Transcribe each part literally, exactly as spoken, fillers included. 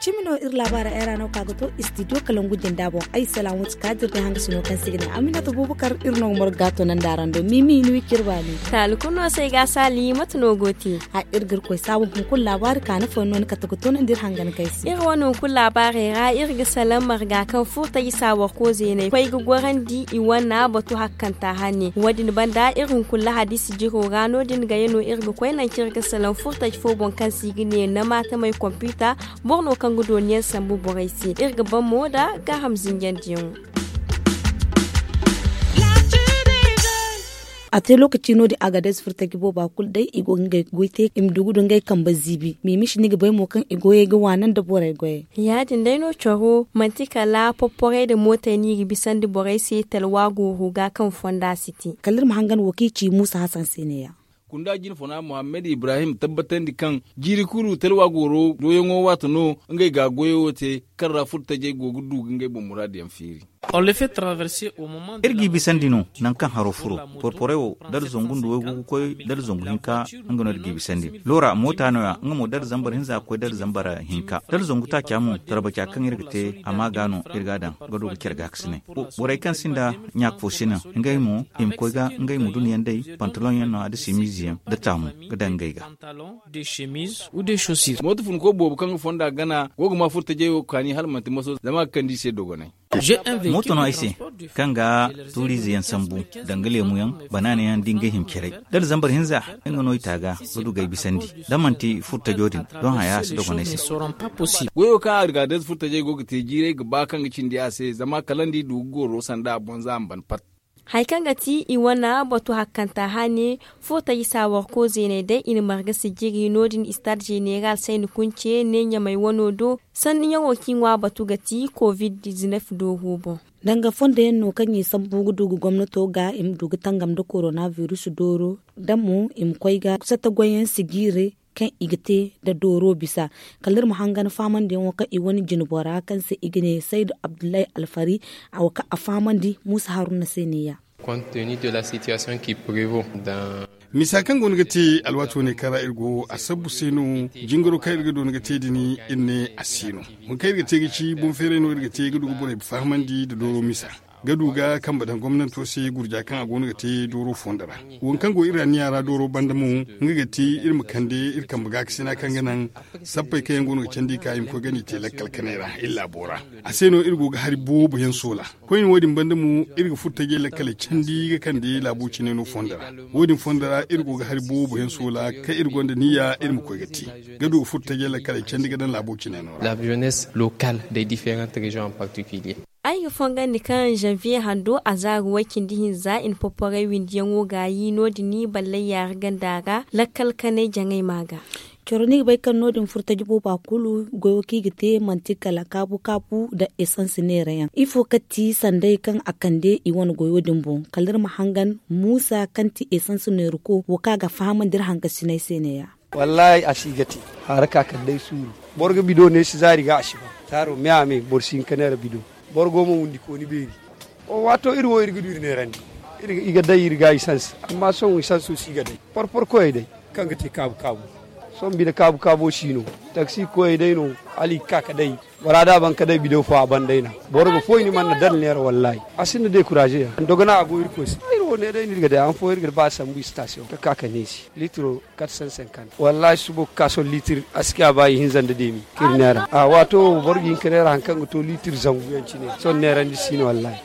Cimi no iri laabaara ay ra no ka ga to istidiyo kalangu jinda boŋ. Ay salaam wuti kaadir day hanga sino kaŋ se ga ne aminata bubakar iri no ga margu ga to nanda araŋ do mimi ni wi kirba ni. Taali kulu no se ay ga a saali mate no go te? A iri ga iri koy saabu hunkuna laabaari kaani fooyaŋ no ni kate ga toonandi iri hangan kay se. Iri wane hunkuna laabaarey ra iri ga salaŋ marga kaŋ furtaji saawar koozeeney koy ga gorandi i wane batu hakkanta hane wo- din banda iri hunkuna lahadi sijiro ra no- din gaya no iri ga koy nangu kaŋ iri ga salaŋ furtaji fo boŋ kaŋ se i ga ne nama tamey kompiita. Boro no kaŋ ga dooniyaŋ sambu borey se iri ga ban mo nda gaaham zinjandiyaŋo. A te lookaci no- din a ga day si furo taji booba kulu day i go ga ngey goy te i ma du ga du ngey kambe ziibi mimisi ni ga bay mo kaŋ i goyey ga waana nda borey goyey. Ya- din day no coro manti kala porporey nda mootey no i ga bisandi borey se talwa gooro ga kaŋ fonda si te. Kala iri ma hangan wo kaŋ i ci muusa hasan se ne- ya. Kunda jine fona muhammad ibrahim tabbatandi kaŋ jiiri kulu talwa gooro doyaŋo waati no ngey ga a goyo wo te kaŋ ra furtajey go ga du ga ngey boŋ muraadu yaŋ feeri. Iri g'i bisandi no nangu kaŋ haro furo porporey wo dala zangu nda waygu ga koy dala zangu hinka. Nga no iri g'i bisandi loora moota no- ya nga mo dala zambar hinza ga koy dala zambar hinka dala zangu taaca mo tarbaca kaŋ iri ga te a ma ga no iri ga a daŋ ga du ga care gaakasinay. Borey kaŋ sinda ɲaaka fo sina ngey mo i ma koy ga ngey ma duna yaŋ day pantaloŋ yaŋ no a da simiize yaŋ da taamu ga daŋ ngey ga. Mooto funko boobo kaŋ ga fonda gana go ga ma furtajey wo kaani hala manti maso zama a ga kande i se dogonay. Mooto no ay se kaŋ ga tuuriize yaŋ sambu danga leemu yaŋ banaana yaŋ da ngey hima care. Dala zambar hinza nga no i taaga ga du ga ay bisandi da manti furtajo din. Don haya a si dogonay se. Goyo kaŋ a ga day furtajey go ga te jiiray ga ba kaŋ ga cindi a se zama kala ni du ga goro sanda a boŋ za a ma ban pat. Hari kaŋ ga ti i wane batu hakkanta hane furtaji saawar koozeeney day i na marga sijiri no- din istaad zeneeraal sayni kunce ne ɲamay wano do. Sanniyaŋo kaŋ i ŋwa batu ga ti covid dizinef dooro boŋ. Danga fondo yaŋ no kaŋ i sambu ga du ga gomnato ga i ma du ga tangam nda korona virus dooro da mo i ma koy ga satta goyyaŋ sijiiri kaŋ i ga te nda dooro bisa. Kala iri ma hangan faamandiyaŋo kaŋ i wane jinbora kaŋ se i ga ne saydu abdullahi alfari a wo kaŋ a faamandi muusa haruna se ne- ya. Misa kaŋ go no ga te alwaati wane kaŋ ra iri go a sabbu se no. Jingaro kaŋ iri ga doona ga te din iri ne a si no. Wo kaŋ iri ga te ga ci boŋ feeray no iri ga te ga du ga borey fahamandi nda dooro misa ga du ga kambe daŋ gomnanto se gurja kaŋ a go no ga te dooro fondo ra. Wo kaŋ go iri anniya ra dooro banda mo nga ga ti iri ma kande iri kambe gaakasina kaŋ ga naŋ sappey kaŋ yaŋ go no ga candi ka i ma koy ga ni te lakkal kanay ra iri laabo ra. A se no iri go ga hari boobo yaŋ soola. Koyne wo- din banda mo iri ga furo tajey lakkaley candi ga kande laabo cine no fondo ra. Wo- din fondo ra iri go ga hari boobo yaŋ soola kaŋ iri gonda niyya iri ma koy ga te ga du ga furo tajey lakkaley candi ga daŋ laabo cine no ra. Ay ga fongandi kaŋ janvier hando a zaaru way-cindi-hinza i na porporey windiyaŋo gaayi no- din ballay yaari ganda ra lakkal kanay jaŋay ma ga. Coro ni ga bay kaŋ no- din furo taji booba kulu goyo kaŋ i ga te manti kala kaabu kaabu nda esans neerayaŋ ifo kati sanday kaŋ a kande i wane goyo din boŋ kala iri ma hangan muusa kaŋ ti esans neeruko wo kaŋ a ga fahamandi iri hangasinay se ne- ya. Wallaahi a si ga te. Haara ka kala day suuru. Boro ga bido ne si zaari ga a si ba. Taaro me a me boro si hin ka neera bido. Boro go ma wundikooni beeri. Waato iri wo iri ga du iri neerandi. I ga day iri ga i sanse amma sohõ i sanso si ga day porpor koyey day kaŋ ga te kaabu kaabu. Sohõ bine kaabu kaabo si no. Taksi koyey day no. Hala i ga ka ka day bora da a ban ka day bido fo a ban day na. Boro ga foy ni mana dala neera wallaahi. A sinda dekuraze yaŋ dogona a go irkoy se. Iri wo ne day no iri ga day han fooyaŋ iri ga ba sambu istasiyoŋ ka ka ka neesi litiro. Wallaahi subo ga ka sohõ liitir aski a ba i hinza nda deemi kaŋ iri neera a waato wo boro ga hin ka neera hari kaŋ ga to liitir zangu yaŋ cine. Sohõ neerandi si no wallaahi.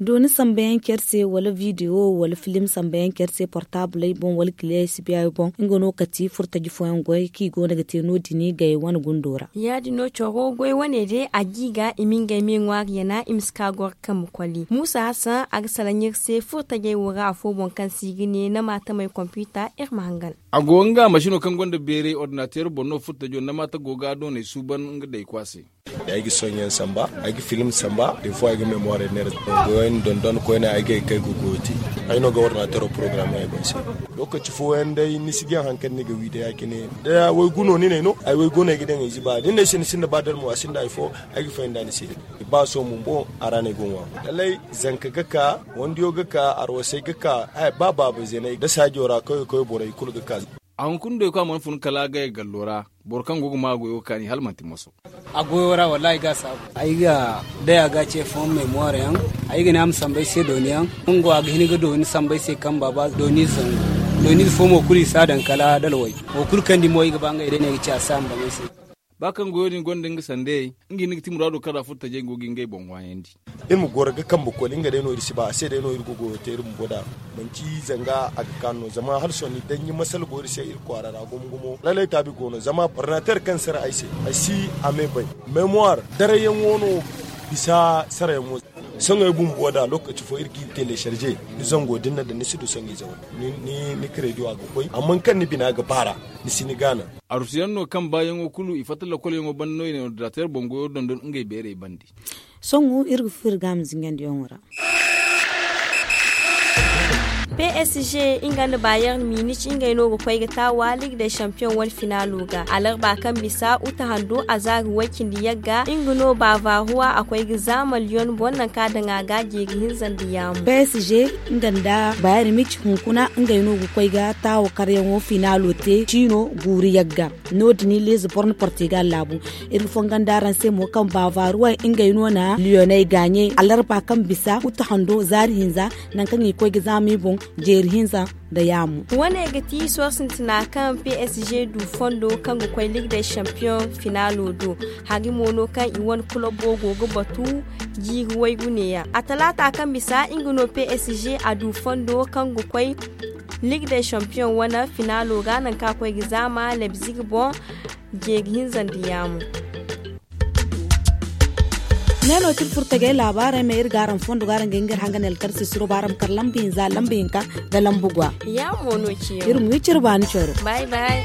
Dooni sambayaŋ care se wala video wala film sambayaŋ care se portabley boŋ wala kiliyey si biya boŋ nga no kati furtaji fooyaŋ goy kaŋ i go no ga te no- din gay wane gundo ra. Ya- din no coro goy wane day a ga i ga i ma ngey me ŋwaari yana i ma si ka goro kambe koli muusa hassan a ga salaŋ iri se furtajey wo ra afo boŋ kaŋ se i ga ne nama tamey kompiita iri ma hangan. A go nga masino kaŋ gonda beeray ordinateero boŋ no furtajo nama ta go ga doonay suuban nga day kwaase. Ay ga sohõ yaŋ samba, ay ga film samba, des fois ay ga mémoire neera. Goyo yaŋ dondon koyne ay ga ay kay ga goyo te. Ay no ga ordinateur programme ay boŋ se. Lokaci fooyaŋ day ni si jaŋ hari kaŋ ni ga wi day ya- cine da waygu no ni n'ay no ay waygu no ay ga daŋ ay ziba da ni n'ay se ni sinda ba dara mo a sinda hari fo. Ay ga faham da ni se. Ba sohõ bumbo a ra no ay go ŋwa. Lallay, zanka ga ka, wandiyo ga ka, arwasay ga ka, ba baaba zeenay da saajo ra kawye kawye borey kulu ga ka. A hunkuna doy kaŋ a mana fun kala a gay gallo ra. Boro kaŋ go ga maa goyo ga kaani hala manti moso. A goyo ra wallahi ga saabu. Ay ga day a ga ce fooyaŋ mémoire yaŋ. Ay ga ne a ma samba ay se dooni yaŋ. Nga go a ga hin ga dooni samba ay se kaŋ baaba dooni zangu. Dooni fo mo kulu i si a daŋ kala dalway. Wo kulu kaŋ di mo i ga ba ngey day no ay ga ci a si a ma baŋ ay se. Ba kaŋ goyo din gonda nga sandey, nga hinne ga ti muraado kaŋ ra furo tajey go ga ngey boŋ waayandi. Iri ma goro ga kambe koli nga day no iri si ba a se day no iri ga goyo te iri bumbo da. Manti zanga a ga kaanu no zama hala sohõ ni danji masala go iri se iri kwaara ra gumo gumo lallay taabi go no zama ordinateur kaŋ sara ay se ay si a me bay. Mémoire darayyaŋo no bisa sarayaŋo. Sohõ ay bumbo da lokaci fo iri ga iri télécharger ni zango din na daŋ ni si du sohõ ize wane. Ni crédit a ga koy amma kaŋ ni bina ga baara. Ni si ni gaana. Arusiyaŋ no kaŋ baayaŋo kulu i fatta lakolyaŋo banda no i na ordinateur boŋ goyo dondon ngey beerey bande. Sohõ iri ga furo iri ga a ma zingandiyaŋo ra. P S G nga nda bayern munich ngey no ga koy ga taawa ligue des champions wane finaalo ga alarba kaŋ bisa uta hando a zaari way cindi yagga nga no bavaruwa a koy ga zaama lyon boŋ nangu kaŋ a daŋ a ga jeeri hinza nda yaamu. P S G nga nda bayern munich hunkuna ngey no ga koy ga taawa karyaŋo finaalo te ciino guuru yagga. No- din liize borno portugal laabu. Iri ga fongan da araŋ se mo kaŋ bavaruwey ngey no na lyonney gaaɲey alarba kaŋ bisa uta hando zaari hinza. Nangu kaŋ i ga koy ga zaama i boŋ jeeri hinza nda yaamu. Wane ga ti sohõ sintina kaŋ p s g du fondo kaŋ ga koy ligue des champions finaalo do. Hari mo no kaŋ i wane kulobo go ga batu jiiri waygu neeya a talaata kaŋ bisa nga no p s g a du fondo kaŋ ga koy ligue des champions wane finaalo ga nangu kaŋ a koy ga zaama lebzig boŋ. Jeeri hinza nda yaamu. Ne no ti iri furo tagay laabaarey ma iri ga araŋ fondo ga araŋ ga hin ga iri hanga ne alkarsi suro ba araŋ ma kar lamba hinza lamba hinka nda lamba gwa. Yaamu no ciyaŋ iri ma wi cire baani coro. Bay bay.